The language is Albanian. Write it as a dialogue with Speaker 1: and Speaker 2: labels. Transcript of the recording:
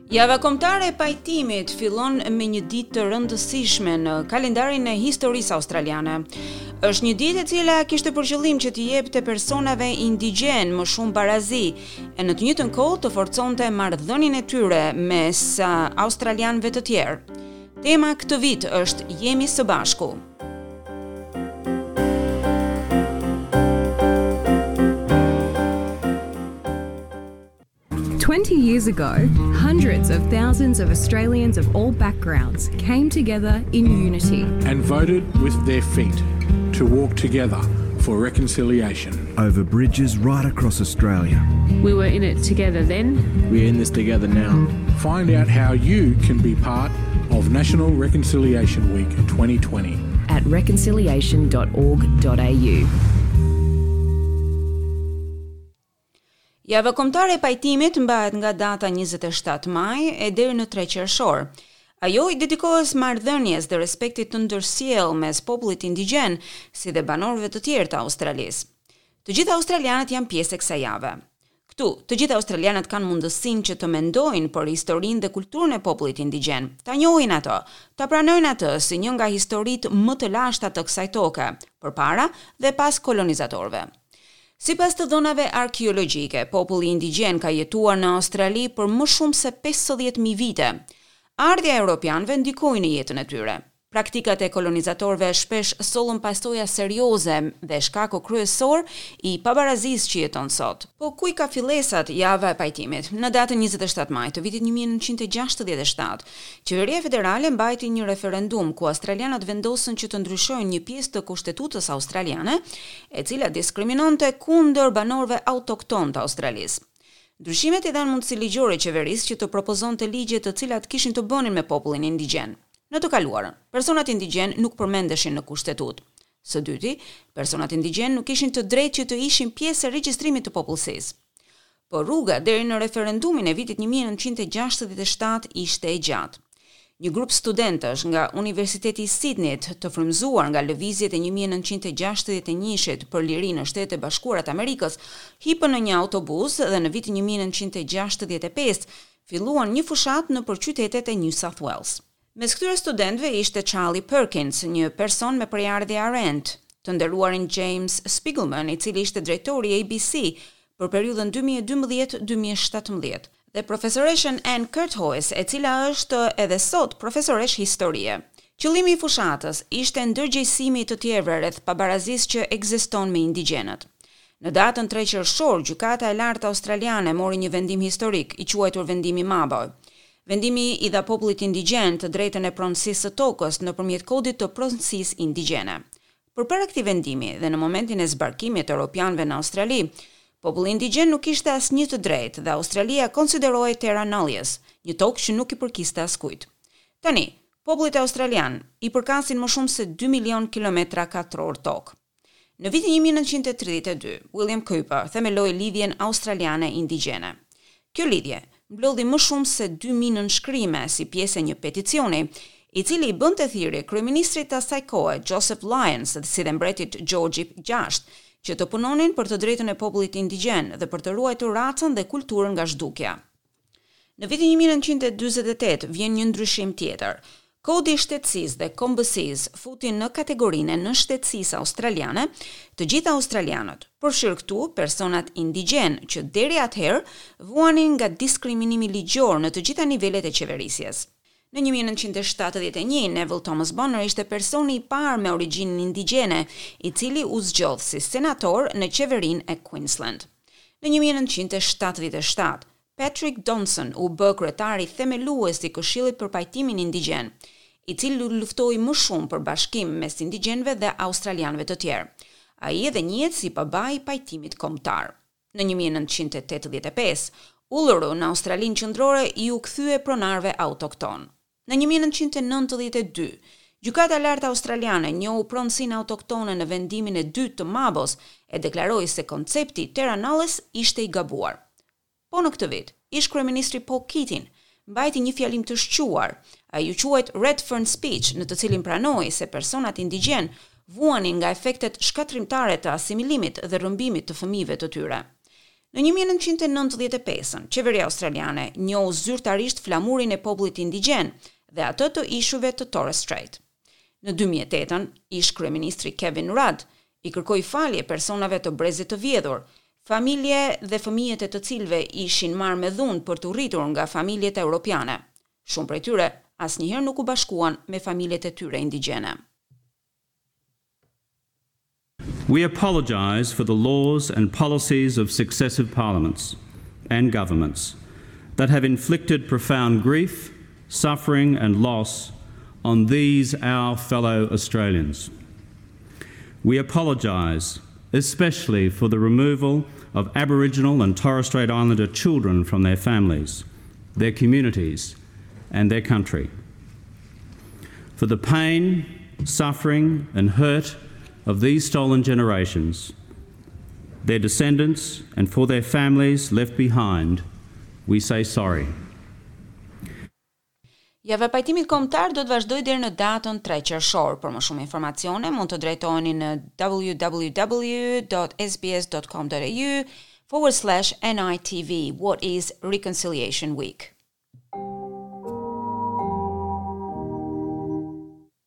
Speaker 1: Java Kombëtare e Pajtimit fillon me një ditë të rëndësishme në kalendarin e historisë australiane. Është një ditë e cila kishte për qëllim që t'i jepte personave indigjenë më shumë barazi e në të njëjtën kohë të forconte marrëdhënien e tyre mes australianëve të tjerë. Tema këtë vit është Jemi së bashku.
Speaker 2: 20 years ago, hundreds of thousands of Australians of all backgrounds came together in unity
Speaker 3: and voted with their feet to walk together for reconciliation.
Speaker 4: Over bridges right across Australia.
Speaker 5: We were in it together then.
Speaker 6: We're in this together now.
Speaker 3: Find out how you can be part of National Reconciliation Week 2020
Speaker 7: at reconciliation.org.au.
Speaker 1: Java Kombëtare e Pajtimit mbahet nga data 27 maj e deri në 3 qershor. Ajo i dedikohet marrëdhënies dhe respektit të ndërsjellë mes popullit indigjen, si dhe banorëve të tjerë të Australisë. Të gjithë australianët janë pjesë e kësaj jave. Këtu, të gjithë australianët kanë mundësinë që të mendojnë për historinë dhe kulturën e popullit indigjen, ta njohin atë, ta pranojnë atë si një nga historitë më të lashta të kësaj toke, përpara dhe pas kolonizatorëve. Sipas të dhënave arkeologjike, populli indigjen ka jetuar në Australi për më shumë se 50.000 vite. Ardhja e europianëve ndikoi në jetën e tyre. Praktikat e kolonizatorëve shpesh sollën pasoja serioze dhe shkaku kryesor i pabarazisë që jeton sot. Po ku i ka fillesat java e pajtimit? Në datën 27 maj të vitit 1967, qeveria federale mbajti një referendum ku australianët vendosën që të ndryshojnë një pjesë të kushtetutës australiane, e cila diskriminonte kundër banorëve autoktonë të Australisë. Ndryshimet i dhanë mundësi ligjore qeverisë që të propozonte ligje të cilat kishin të bënin me popullin indigjen. Në të kaluarën, personat indigjen nuk përmendeshin në kushtetutë. Së dyti, personat indigjen nuk kishin të drejtë që të ishin pjesë e regjistrimit të popullsisë. Por rruga deri në referendumin e vitit 1967 ishte e gjatë. Një grup studentësh nga Universiteti i Sydneyt, të frymëzuar nga lëvizjet e 1961-shit për liri në Shtetet e Bashkuara të Amerikës, hipën në një autobus dhe në vitin 1965 filluan një fushatë nëpër qytetet e New South Wales. Mes këtyre studentëve ishte Charlie Perkins, një person me prejardhje Arrernte, të nderuarin James Spiegelman, i cili ishte drejtori i ABC për periudhën 2012-2017, dhe profesoreshën Ann Curthoys, e cila është edhe sot profesoreshë historie. Qëllimi i fushatës ishte ndërgjegjësimi i të tjerëve rreth pabarazisë që ekziston me indigjenët. Në datën 3 qershor, Gjykata e Lartë Australiane mori një vendim historik, i quajtur vendimi Mabo. Vendimi i dha popullit indigjen të drejtën e pronësisë së tokës nëpërmjet kodit të pronësisë indigjene. Përpara këtij vendimi dhe në momentin e zbarkimit të europianëve në Australi, populli indigjen nuk kishte asnjë të drejtë dhe Australia konsiderohej terra nullius, një tokë që nuk i përkiste askujt. Tani, popullit australian i përkasin më shumë se 2 milion kilometra katror tokë. Në vitin 1932, William Cooper themeloi Lidhjen Australiane Indigjene. Kjo lidhje mblodhi më shumë se 2000 nënshkrime si pjesë e një peticioni, i cili i bënte thirrje kryeministrit të asaj kohe Joseph Lyons si dhe mbretit George VI, që të punonin për të drejtën e popullit indigjen dhe për të ruajtur racën dhe kulturën nga zhdukja. Në vitin 1948 vjen një ndryshim tjetër. Kodi i shtetësisë dhe kombësisë futi në kategorinë e nënshtetësisë australiane të gjithë australianët, përfshirë këtu personat indigjen që deri atëherë vuanin nga diskriminimi ligjor në të gjitha nivelet e qeverisjes. Në 1971, Neville Thomas Bonner ishte personi i parë me origjinë indigjene, i cili u zgjodh si senator në qeverinë e Queensland. Në 1977, Patrick Dodson u bë kryetari themelues i Këshillit për Pajtimin Indigjen, i cili luftoi më shumë për bashkim mes indigjenëve dhe australianëve të tjerë. Ai edhe njihet si babai i pajtimit kombëtar. Në 1985, Uluru në Australinë Qendrore iu kthye pronarëve autokton. Në 1992, Gjykata e Lartë Australiane njohu pronësinë autoktone në vendimin e dytë të Mabos e deklaroi se koncepti terra nullius ishte i gabuar. Po në këtë vit, ish kryeministri Paul Keating mbajti një fjalim të shquar. Ai u quajt Redfern Speech, në të cilin pranoi se personat indigjen vuanin nga efektet shkatërrimtare të asimilimit dhe rrëmbimit të fëmijëve të tyre. Në 1995-ën, qeveria australiane njohu zyrtarisht flamurin e popullit indigjen dhe atë të ishujve të Torres Strait. Në 2008-ën, ish kryeministri Kevin Rudd i kërkoi falje personave të brezit të vjedhur, familje dhe fëmijët e të cilëve ishin marrë me dhunë për t'u rritur nga familjet europiane. Shumë prej tyre asnjëherë nuk u bashkuan me familjet e tyre indigjene.
Speaker 6: We apologise for the laws and policies of successive parliaments and governments that have inflicted profound grief, suffering and loss on these our fellow Australians. We apologise especially for the removal of Aboriginal and Torres Strait Islander children from their families, their communities, and their country. For the pain, suffering, and hurt of these stolen generations, their descendants, and for their families left behind, we say sorry.
Speaker 1: Java e pajtimit kombëtar do të vazhdojë deri në datën 3 qershor. Për më shumë informacione mund të drejtoheni në www.sbs.com.au forward slash NITV. What is Reconciliation Week?